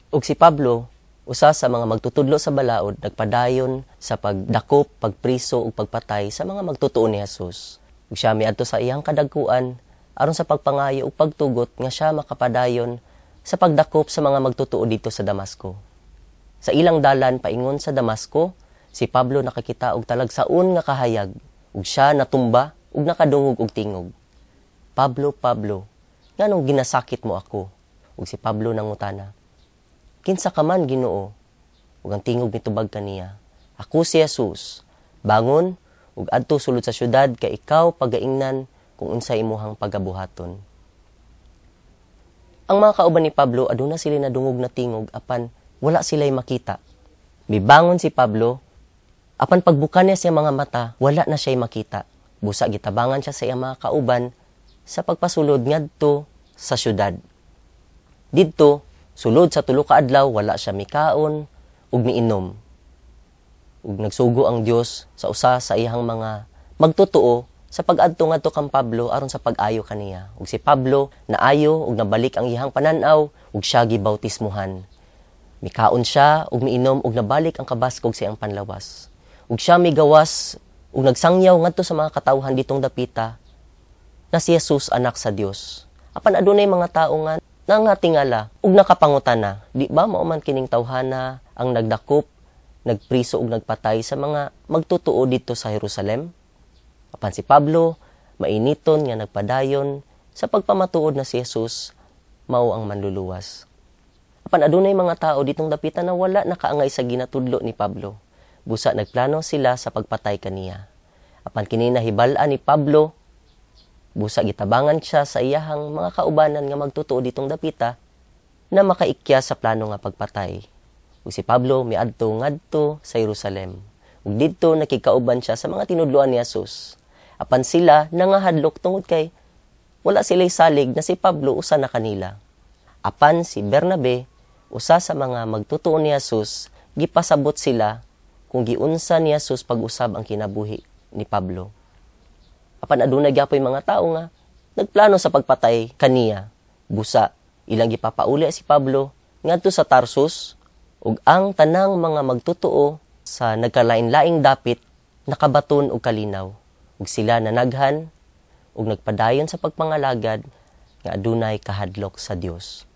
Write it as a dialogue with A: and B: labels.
A: Ug si Pablo, usa sa mga magtutudlo sa balaod, nagpadayon sa pagdakop, pagpriso ug pagpatay sa mga magtotoo ni Jesus. Ug siya miadto sa iyang kadagkuan aron sa pagpangayo ug pagtugot nga siya makapadayon sa pagdakop sa mga magtotoo didto sa Damasco. Sa ilang dalan paingon sa Damasco, si Pablo nakakita og talagsaon nga kahayag ug siya natumba ug nakadungog og tingog, "Pablo, Pablo, nganong ginasakit mo ako?" Ug si Pablo nangutana, "Kinsa ka man, Ginoo?" Ug ang tingog mitubag kaniya, "Ako si Jesus. Bangon ug adto sulod sa syudad kay ikaw pagaingnan kung unsay imuhang pagabuhaton." Ang mga kauban ni Pablo, aduna sila nadungog na tingog apan wala sila'y makita. Mibangon si Pablo, apan pagbuka niya sa mga mata, wala na siya'y makita. Busa gitabangan siya sa iyang mga kauban sa pagpasulod ngadto sa syudad. Didto, sulod sa 3 ka adlaw, wala siya mikaon ug miinom. Ug nagsugo ang Dios sa usa sa iyang mga magtotoo sa pag-adto ngadto kang Pablo aron sa pag-ayo kaniya. Ug si Pablo naayo ug nabalik ang iyang panan-aw ug siya gibautismuhan. Mikaon siya ug miinom ug nabalik ang kabaskog sa iyang panlawas. Ug siya migawas ug nagsangyaw ngadto sa mga katawhan ditong dapita na si Jesus anak sa Dios. Apan adunay mga tawo nga nangatingala ug nakapangutana, "Di ba mao man kining tawhana ang nagdakop, nagpriso ug nagpatay sa mga magtotoo didto sa Jerusalem?" Apan si Pablo mainiton nga nagpadayon sa pagpamatuod na si Jesus mao ang manluluwas. Apan adunay mga tao ditong dapita na wala nakaangay sa ginatudlo ni Pablo. Busa nagplano sila sa pagpatay kaniya. Apan kini nahibal-an ni Pablo, busa gitabangan siya sa iyahang mga kaubanan nga magtotoo ditong dapita na makaikya sa plano nga pagpatay. Ug si Pablo miadto ngadto sa Jerusalem. Ug didto nakigkauban siya sa mga tinudloan ni Jesus. Apan sila nangahadlok tungod kay wala sila'y salig na si Pablo usa na kanila. Apan si Bernabe, usa sa mga magtotoo ni Jesus, gipasabot sila kung giunsa ni Jesus pag-usab ang kinabuhi ni Pablo. Apan adunay gyapoy mga tao nga nagplano sa pagpatay kaniya. Busa ilang gipapauli si Pablo ngadto sa Tarsus ug ang tanang mga magtotoo sa nagkalain-laing dapit nakabaton og kalinaw ug sila nanaghan ug nagpadayon sa pagpangalagad nga adunay kahadlok sa Dios.